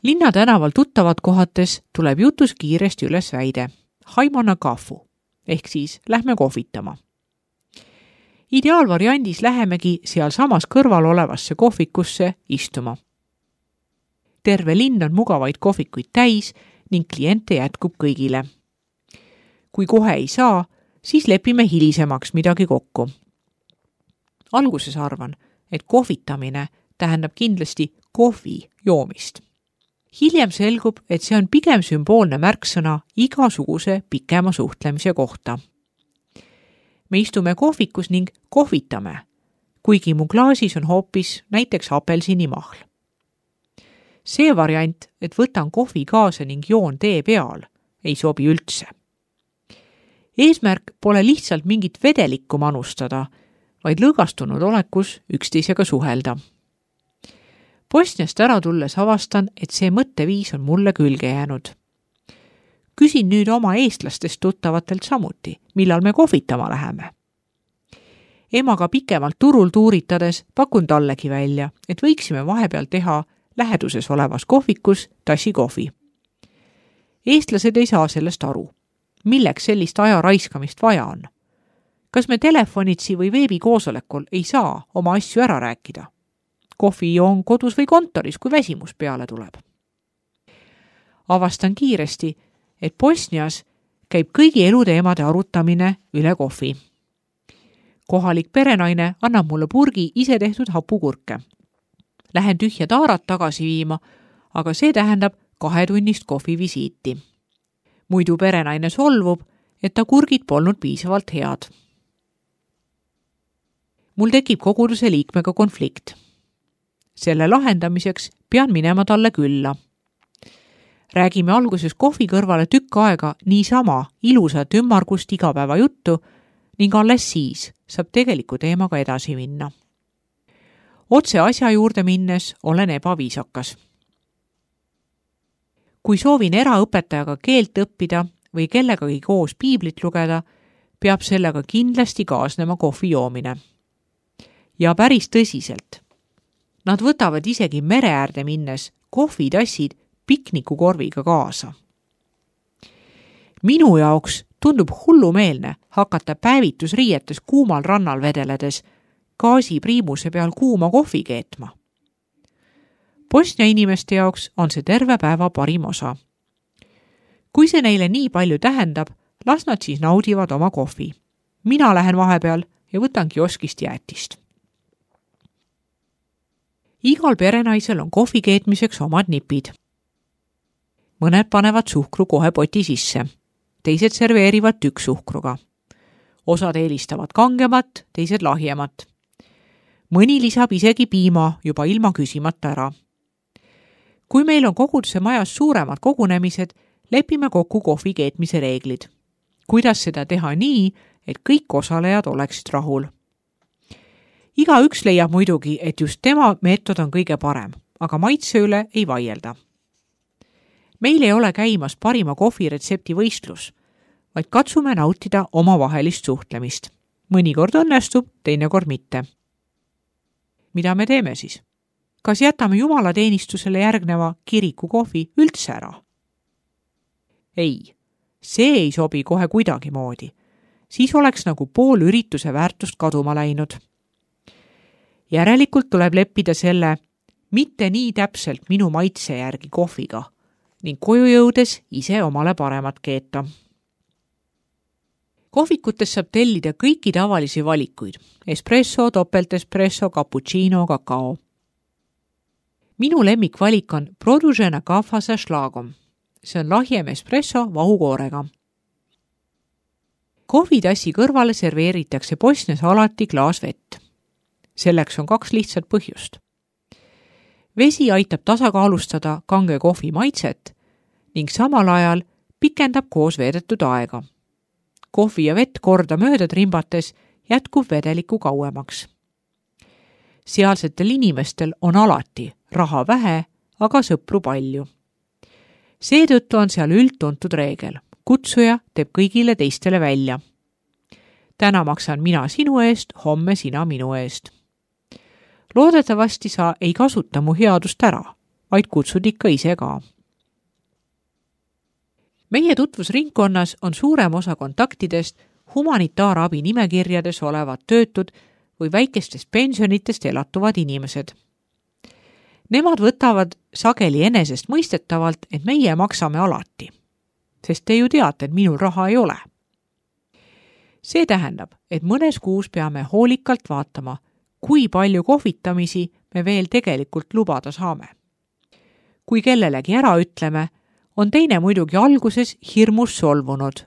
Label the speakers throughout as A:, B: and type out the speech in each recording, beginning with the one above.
A: Linna tänaval tuttavad kohates tuleb jutus kiiresti üles väide haimana kafu ehk siis lähme kohvitama. Ideaalvariandis lähemegi seal samas kõrval olevasse kohvikusse istuma. Terve linn on mugavaid kohvikuid täis ning kliente jätkub kõigile. Kui kohe ei saa, siis lepime hilisemaks midagi kokku. Alguses arvan, et kohvitamine tähendab kindlasti kohvi joomist. Hiljem selgub, et see on pigem sümboolne märksõna igasuguse pikema suhtlemise kohta. Me istume kohvikus ning kohvitame, kuigi mu klaasis on hoopis näiteks apelsinimahl. See variant, et võtan kohvi kaasa ning joon tee peal, ei sobi üldse. Eesmärk pole lihtsalt mingit vedelikku manustada, vaid lõõgastunud olekus üksteisega suhelda. Bosniast ära tulles avastan, et see mõtteviis on mulle külge jäänud. Küsin nüüd oma eestlastest tuttavatelt samuti, millal me kohvitama läheme. Emaga pikemalt turul tuuritades pakun tallegi välja, et võiksime vahepeal teha läheduses olevas kohvikus tassi kohvi. Eestlased ei saa sellest aru. Milleks sellist aja raiskamist vaja on? Kas me telefonitsi või veebikoosolekul ei saa oma asju ära rääkida? Kohvi joon kodus või kontoris, kui väsimus peale tuleb. Avastan kiiresti, et Bosnias käib kõigi eluteemade arutamine üle kohvi. Kohalik perenaine annab mulle purgi ise tehtud hapukurke. Lähen tühja taarat tagasi viima, aga see tähendab 2-tunnist kohvivisiiti. Muidu perenaine solvub, et ta kurgid polnud piisavalt head. Mul tekib koguduse liikmega konflikt. Selle lahendamiseks pean minema talle külla. Räägime alguses kohvi kõrvale tükk aega niisama ilusat ümmargust igapäeva juttu ning alles siis saab tegeliku teemaga edasi minna. Otse asja juurde minnes olen ebaviisakas. Kui soovin eraõpetajaga keelt õppida või kellegagi koos piiblit lugeda, peab sellega kindlasti kaasnema kohvi joomine. Ja päris tõsiselt. Nad võtavad isegi mere äärde minnes kohvitassid piknikukorviga kaasa. Minu jaoks tundub hullumeelne hakata päevitusriietes kuumal rannal vedeledes gaasipriimuse peal kuuma kohvi keetma. Bosnia inimeste jaoks on see terve päeva parim osa. Kui see neile nii palju tähendab, las nad siis naudivad oma kohvi. Mina lähen vahepeal ja võtan kioskist jäätist. Igal perenaisel on kohvi keetmiseks omad nipid. Mõned panevad suhkru kohe poti sisse. Teised serveerivad tükksuhkruga. Osad eelistavad kangemat, teised lahjemat. Mõni lisab isegi piima juba ilma küsimata ära. Kui meil on koguduse majas suuremad kogunemised, lepime kokku kohvi keetmise reeglid. Kuidas seda teha nii, et kõik osalejad oleksid rahul? Igaüks leiab muidugi, et just tema meetod on kõige parem, aga maitse üle ei vaielda. Meil ei ole käimas parima kohviretsepti võistlus, vaid katsume nautida omavahelist suhtlemist. Mõnikord õnnestub, teinekord mitte. Mida me teeme siis? Kas jätame jumalateenistusele järgneva kiriku kohvi üldse ära? Ei, see ei sobi kohe kuidagi moodi. Siis oleks nagu pool ürituse väärtust kaduma läinud. Järelikult tuleb leppida selle mitte nii täpselt minu maitse järgi kohviga ning koju jõudes ise omale paremat keeta. Kohvikutes saab tellida kõiki tavalisi valikuid. Espresso, topeltespresso, cappuccino, kakao. Minu lemmikvalik on produžena kava sa šlagom. See on lahjem espresso vahukoorega. Kohvitassi kõrvale serveeritakse Bosnias alati klaas vett. Selleks on 2 lihtsat põhjust. Vesi aitab tasakaalustada kange kohvi maitset ning samal ajal pikendab koos veedetud aega. Kohvi ja vett korda mööda trimbates jätkub vedeliku kauemaks. Sealsetel inimestel on alati raha vähe, aga sõpru palju. Seetõttu on seal üldtuntud reegel. Kutsuja teeb kõigile teistele välja. Täna maksan mina sinu eest, homme sina minu eest. Loodetavasti sa ei kasuta mu headust ära, vaid kutsud ikka ise ka. Meie tutvusringkonnas on suurem osa kontaktidest humanitaarabi nimekirjades olevad töötud või väikestest pensionitest elatuvad inimesed. Nemad võtavad sageli enesest mõistetavalt, et meie maksame alati, sest te ju teate, et minul raha ei ole. See tähendab, et mõnes kuus peame hoolikalt vaatama, kui palju kohvitamisi me veel tegelikult lubada saame. Kui kellelegi ära ütleme, on teine muidugi alguses hirmus solvunud,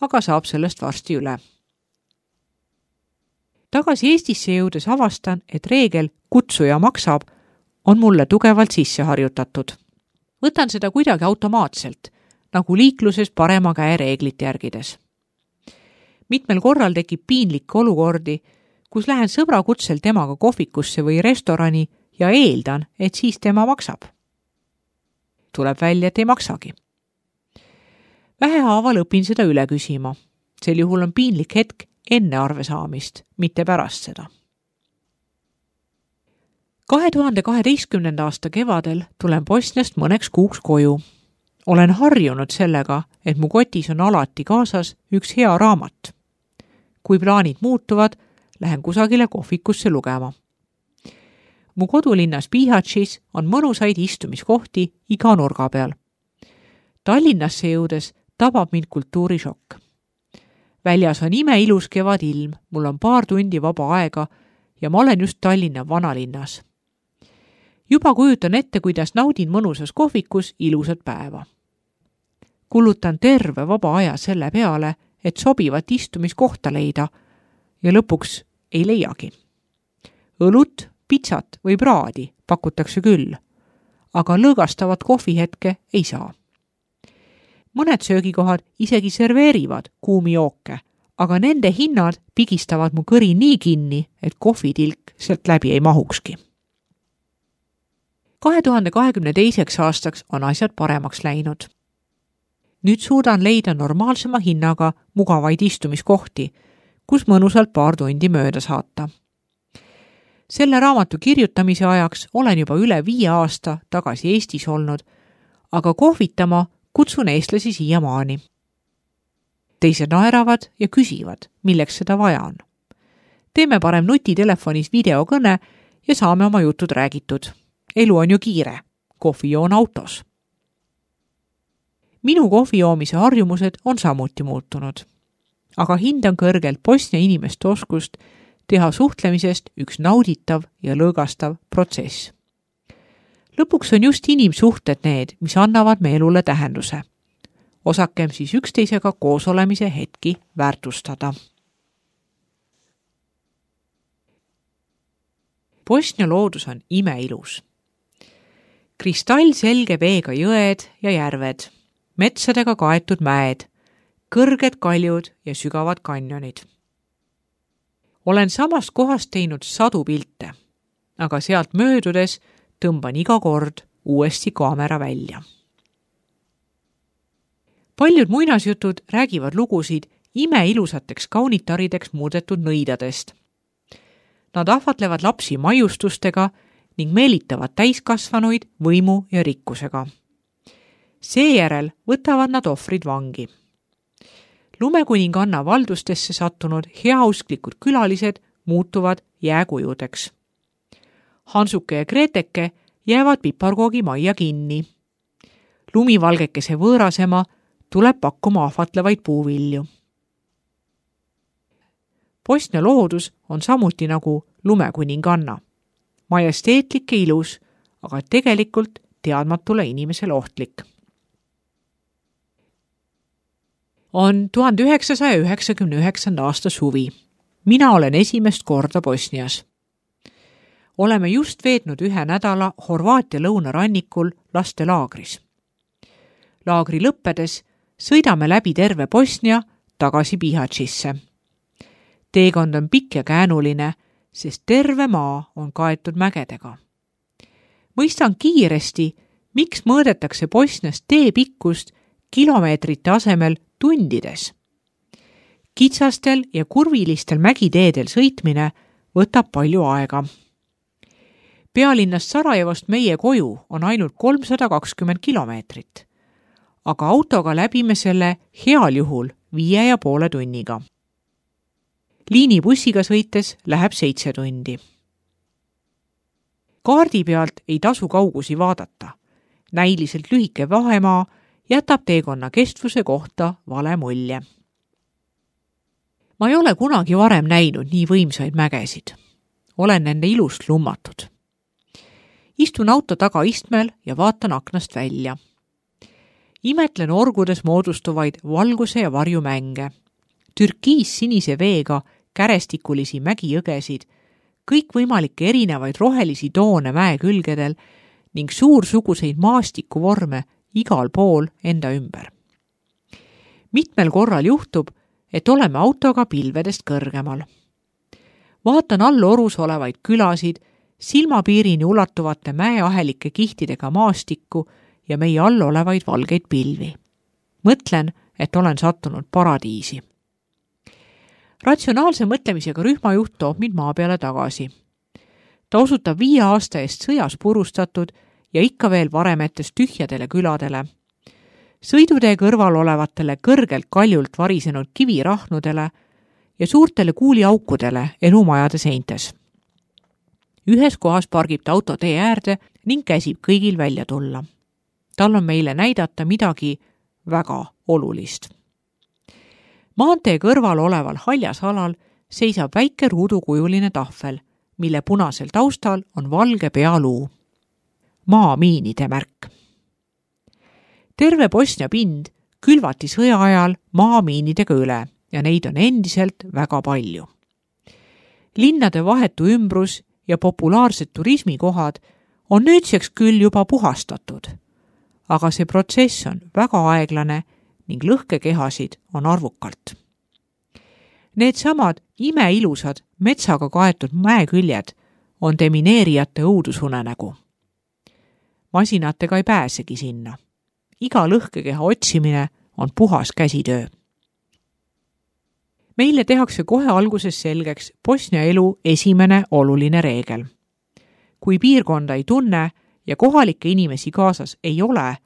A: aga saab sellest varsti üle. Tagasi Eestisse jõudes avastan, et reegel kutsuja maksab on mulle tugevalt sisse harjutatud. Võtan seda kuidagi automaatselt, nagu liikluses parema käe reeglit järgides. Mitmel korral tekib piinlikke olukordi, kus lähen sõbra kutsel temaga kohvikusse või restorani ja eeldan, et siis tema maksab. Tuleb välja, et ei maksagi. Vähehaaval õpin seda üle küsima. Sel juhul on piinlik hetk enne arve saamist, mitte pärast seda. 2012. aasta kevadel tulen Bosniast mõneks kuuks koju. Olen harjunud sellega, et mu kotis on alati kaasas üks hea raamat. Kui plaanid muutuvad, lähen kusagile kohvikusse lugema. Mu kodulinnas Bihaćis on mõnusaid istumiskohti iga nurga peal. Tallinnasse jõudes tabab mind kultuurishokk. Väljas on imeilus kevadilm, mul on paar tundi vaba aega ja ma olen just Tallinna vanalinnas. Juba kujutan ette, kuidas naudin mõnusas kohvikus ilusat päeva. Kulutan terve vaba aja selle peale, et sobivat istumiskohta leida ja lõpuks ei leiagi. Õlut, pitsat või praadi pakutakse küll, aga lõõgastavat kohvihetke ei saa. Mõned söögikohad isegi serveerivad kuumi jooke, aga nende hinnad pigistavad mu kõri nii kinni, et kohvitilk sealt läbi ei mahukski. 2022. aastaks on asjad paremaks läinud. Nüüd suudan leida normaalsema hinnaga mugavaid istumiskohti, kus mõnusalt paar tundi mööda saata. Selle raamatu kirjutamise ajaks olen juba üle 5 aasta tagasi Eestis olnud, aga kohvitama kutsun eestlasi siiamaani. Teised naeravad ja küsivad, milleks seda vaja on. Teeme parem nutitelefonis videokõne ja saame oma jutud räägitud. Elu on ju kiire, kohvi joon autos. Minu kohvijoomise harjumused on samuti muutunud, aga hindan kõrgelt Bosnia inimeste oskust teha suhtlemisest üks nauditav ja lõõgastav protsess. Lõpuks on just inimsuhted need, mis annavad me elule tähenduse. Osakem siis üksteisega koos olemise hetki väärtustada. Bosnia loodus on imeilus. Kristallselge veega jõed ja järved, metsadega kaetud mäed, kõrged kaljud ja sügavad kanjonid. Olen samast kohast teinud 100 pilte, aga sealt möödudes tõmban iga kord uuesti kaamera välja. Paljud muinasjutud räägivad lugusid imeilusateks kaunitarideks muudetud nõidadest. Nad ahvatlevad lapsi maiustustega ning meelitavad täiskasvanuid võimu ja rikkusega. Seejärel võtavad nad ohvrid vangi. Lumekuninganna valdustesse sattunud heausklikud külalised muutuvad jääkujudeks. Hansuke ja Greteke jäävad piparkoogi majja kinni. Lumivalgekese võõrasema tuleb pakkuma ahvatlevaid puuvilju. Bosnia loodus on samuti nagu lumekuninganna. Majesteetlik ja ilus, aga tegelikult teadmatule inimesele ohtlik. On 1999. aasta suvi. Mina olen esimest korda Bosnias. Oleme just veetnud 1 nädala Horvaatia lõunarannikul lastelaagris. Laagri lõppedes sõidame läbi terve Bosnia tagasi Bihaćisse. Teekond on pikk ja käänuline, sest terve maa on kaetud mägedega. Mõistan kiiresti, miks mõõdetakse Bosnias tee pikkust kilomeetrite asemel tundides. Kitsastel ja kurvilistel mägiteedel sõitmine võtab palju aega. Pealinnast Sarajevost meie koju on ainult 320 kilomeetrit, aga autoga läbime selle heal juhul 5,5 tunniga. Liinibussiga sõites läheb 7 tundi. Kaardi pealt ei tasu kaugusi vaadata. Näiliselt lühike vahemaa jätab teekonna kestvuse kohta vale mulje. Ma ei ole kunagi varem näinud nii võimsaid mägesid. Olen nende ilust lummatud. Istun auto tagaistmel ja vaatan aknast välja. Imetlen orgudes moodustuvaid valguse ja varjumänge, türkiis-sinise veega kärestikulisi mägijõgesid, kõikvõimalikke erinevaid rohelisi toone mäe külgedel ning suursuguseid maastikuvorme igal pool enda ümber. Mitmel korral juhtub, et oleme autoga pilvedest kõrgemal. Vaatan all orus olevaid külasid, silmapiirini ulatuvate mäeahelike kihtidega maastikku ja meie all olevaid valgeid pilvi. Mõtlen, et olen sattunud paradiisi. Ratsionaalse mõtlemisega rühmajuht toob mind maa peale tagasi. Ta osutab 5 aasta eest sõjas purustatud ja ikka veel varemetes tühjadele küladele, sõidutee kõrval olevatele kõrgelt kaljult varisenud kivirahnudele ja suurtele kuuliaukudele elumajade seintes. Ühes kohas pargib ta auto tee äärde ning käsib kõigil välja tulla. Tal on meile näidata midagi väga olulist. Maantee kõrval oleval haljasalal seisab väike ruudukujuline tahvel, mille punasel taustal on valge pealuu. Maamiinide märk. Terve Bosnia pind külvati sõja ajal maamiinidega üle ja neid on endiselt väga palju. Linnade vahetu ümbrus ja populaarsed turismikohad on nüüdseks küll juba puhastatud, aga see protsess on väga aeglane ning lõhkekehasid on arvukalt. Need samad imeilusad metsaga kaetud mäeküljed on demineerijate õudusunenägu. Masinatega ei pääsegi sinna. Iga lõhkekeha otsimine on puhas käsitöö. Meile tehakse kohe alguses selgeks Bosnia elu esimene oluline reegel. Kui piirkonda ei tunne ja kohalikke inimesi kaasas ei ole,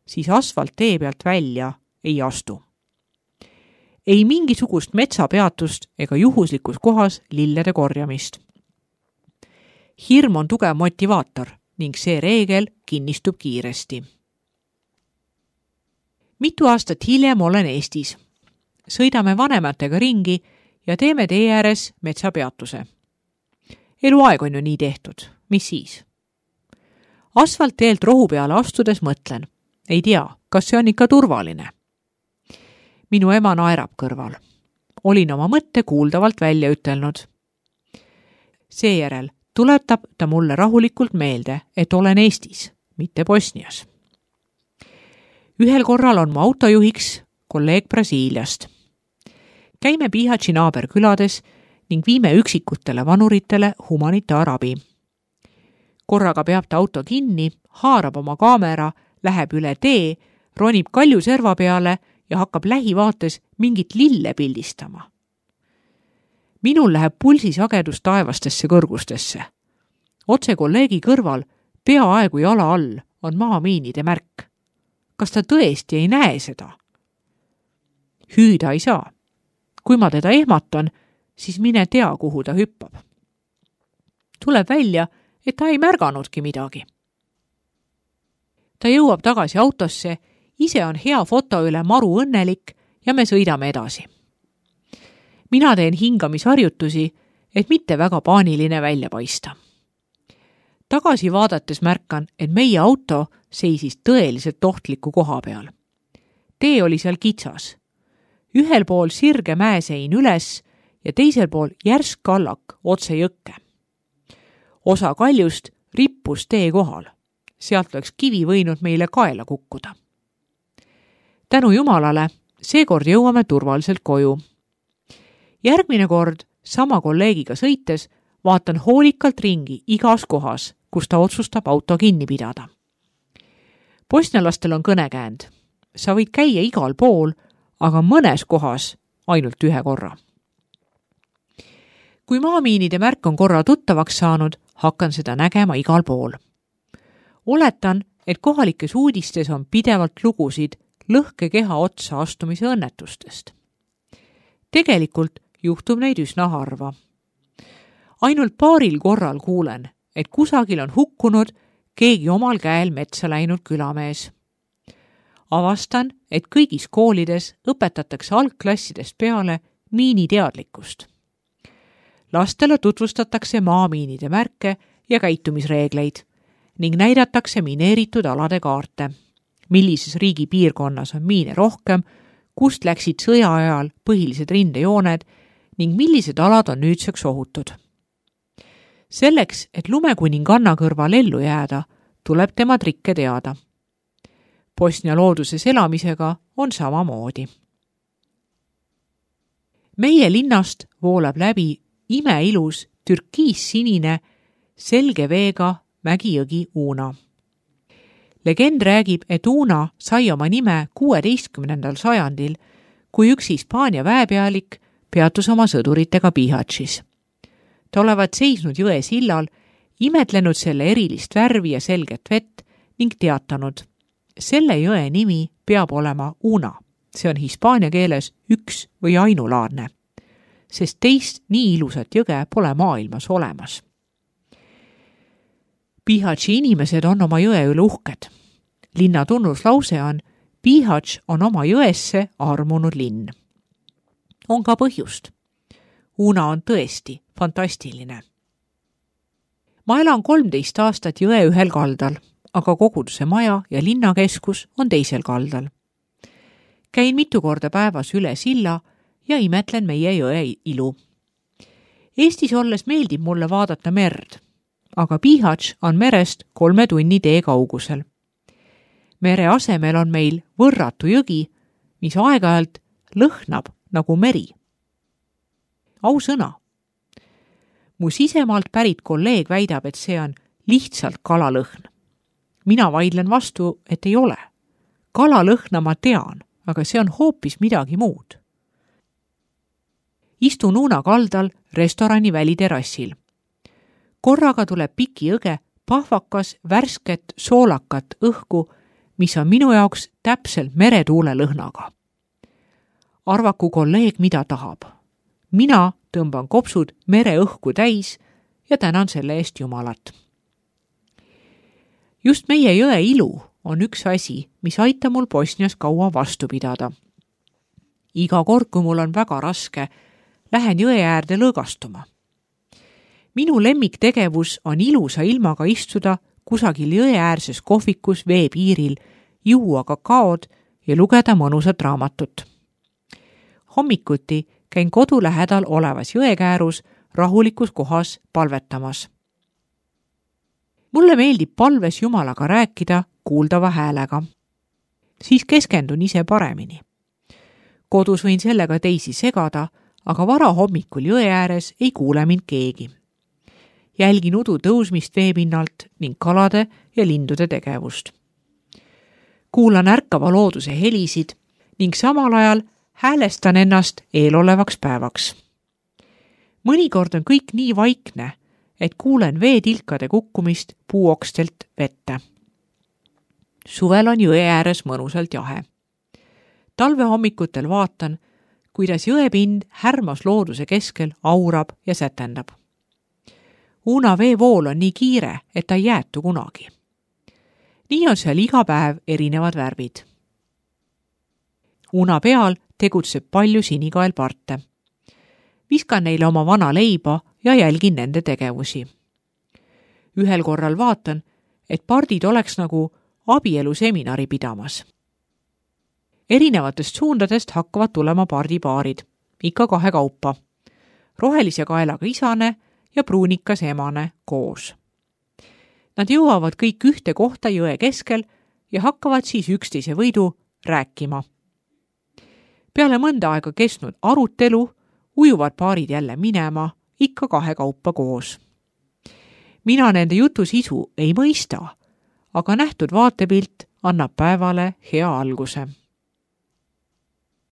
A: siis asfalttee pealt välja ei astu. Ei mingisugust metsapeatust ega juhuslikus kohas lillede korjamist. Hirm on tugev motivaator ning see reegel kinnistub kiiresti. Mitu aastat hiljem olen Eestis. Sõidame vanematega ringi ja teeme tee ääres metsapeatuse. Eluaeg on ju nii tehtud. Mis siis? Asfaltteelt rohu peale astudes mõtlen. Ei tea, kas see on ikka turvaline. Minu ema naerab kõrval. Olin oma mõtte kuuldavalt välja ütelnud. Seejärel tuletab ta mulle rahulikult meelde, et olen Eestis, mitte Bosnias. Ühel korral on mu autojuhiks kolleeg Brasiiliast. Käime Bihaći naaberkülades ning viime üksikutele vanuritele humanitaarabi. Korraga peab ta auto kinni, haarab oma kaamera, läheb üle tee, ronib kalju serva peale ja hakkab lähivaates mingit lille pildistama. Minul läheb pulsisagedus taevastesse kõrgustesse. Otse kolleegi kõrval, peaaegu jala all, on maamiinide märk. Kas ta tõesti ei näe seda? Hüüda ei saa. Kui ma teda ehmatan, siis mine tea, kuhu ta hüppab. Tuleb välja, et ta ei märganudki midagi. Ta jõuab tagasi autosse, ise on hea foto üle maru õnnelik ja me sõidame edasi. Mina teen hingamisharjutusi, et mitte väga paaniline välja paista. Tagasi vaadates märkan, et meie auto seisis tõeliselt ohtliku koha peal. Tee oli seal kitsas. Ühel pool sirge mäesein üles ja teisel pool järsk kallak otse jõkke. Osa kaljust rippus tee kohal. Sealt oleks kivi võinud meile kaela kukkuda. Tänu Jumalale, seekord jõuame turvaliselt koju. Järgmine kord sama kolleegiga sõites vaatan hoolikalt ringi igas kohas, kus ta otsustab auto kinni pidada. Bosnialastel on kõnekäänd. Sa võid käia igal pool, aga mõnes kohas ainult ühe korra. Kui maamiinide märk on korra tuttavaks saanud, hakkan seda nägema igal pool. Oletan, et kohalikes uudistes on pidevalt lugusid lõhkekeha otsa astumise õnnetustest. Tegelikult juhtub neid üsna harva. Ainult paaril korral kuulen, et kusagil on hukkunud keegi omal käel metsa läinud külamees. Avastan, et kõigis koolides õpetatakse algklassidest peale miiniteadlikkust. Lastele tutvustatakse maamiinide märke ja käitumisreegleid ning näidatakse mineeritud alade kaarte, millises riigi piirkonnas on miine rohkem, kust läksid sõja ajal põhilised rindejooned ning millised alad on nüüdseks ohutud. Selleks, et lumekuninganna kõrval ellu jääda, tuleb tema trikke teada. Bosnia looduses elamisega on samamoodi. Meie linnast voolab läbi imeilus türkiissinine selge veega mägijõgi Una. Legend räägib, et Una sai oma nime 16. sajandil, kui üks Hispaania väepealik peatus oma sõduritega Bihaćis. Ta olevat seisnud jõe sillal, imetlenud selle erilist värvi ja selget vett ning teatanud, selle jõe nimi peab olema Una, see on hispaania keeles üks või ainulaadne, sest teist nii ilusat jõge pole maailmas olemas. Bihaći inimesed on oma jõe üle uhked. Linna tunnuslause on, Bihać on oma jõesse armunud linn. On ka põhjust. Una on tõesti fantastiline. Ma elan 13 aastat jõe ühel kaldal, aga koguduse maja ja linnakeskus on teisel kaldal. Käin mitu korda päevas üle silla ja imetlen meie jõe ilu. Eestis olles meeldib mulle vaadata merd, aga Bihać on merest 3 tunni tee kaugusel. Mere asemel on meil võrratu jõgi, mis aeg-ajalt lõhnab nagu meri. Ausõna. Mu sisemaalt pärit kolleeg väidab, et see on lihtsalt kalalõhn. Mina vaidlen vastu, et ei ole. Kalalõhna ma tean, aga see on hoopis midagi muud. Istun Una kaldal restorani väliterassil. Korraga tuleb piki õge pahvakas, värsket, soolakat õhku, mis on minu jaoks täpselt meretuule lõhnaga. Arvaku kolleeg, mida tahab. Mina tõmban kopsud mereõhku täis ja tänan selle eest Jumalat. Just meie jõe ilu on üks asi, mis aitab mul Bosnias kaua vastu pidada. Iga kord, kui mul on väga raske, lähen jõe äärde lõõgastuma. Minu lemmiktegevus on ilusa ilmaga istuda kusagil jõeäärses kohvikus veepiiril, juua kakaod ja lugeda mõnusat raamatut. Hommikuti käin kodu lähedal olevas jõekäärus rahulikus kohas palvetamas. Mulle meeldib palves Jumalaga rääkida kuuldava häälega. Siis keskendun ise paremini. Kodus võin sellega teisi segada, aga vara hommikul jõe ääres ei kuule mind keegi. Jälgin udu tõusmist veepinnalt ning kalade ja lindude tegevust. Kuulan ärkava looduse helisid ning samal ajal häälestan ennast eelolevaks päevaks. Mõnikord on kõik nii vaikne, et kuulen veetilkade kukkumist puuokstelt vette. Suvel on jõe ääres mõnusalt jahe. Talvehommikutel vaatan, kuidas jõepind härmas looduse keskel aurab ja sätendab. Una veevool on nii kiire, et ta ei jäätu kunagi. Nii on seal iga päev erinevad värvid. Una peal tegutseb palju sinikaelparte. Viskan neile oma vana leiba ja jälgin nende tegevusi. Ühel korral vaatan, et pardid oleks nagu abieluseminari pidamas. Erinevatest suundadest hakkavad tulema pardipaarid, ikka 2 kaupa. Rohelise kaelaga isane ja pruunikas emane koos. Nad jõuavad kõik ühte kohta jõe keskel ja hakkavad siis üksteise võidu rääkima. Peale mõnda aega kestnud arutelu ujuvad paarid jälle minema, ikka 2 kaupa koos. Mina nende jutu sisu ei mõista, aga nähtud vaatepilt annab päevale hea alguse.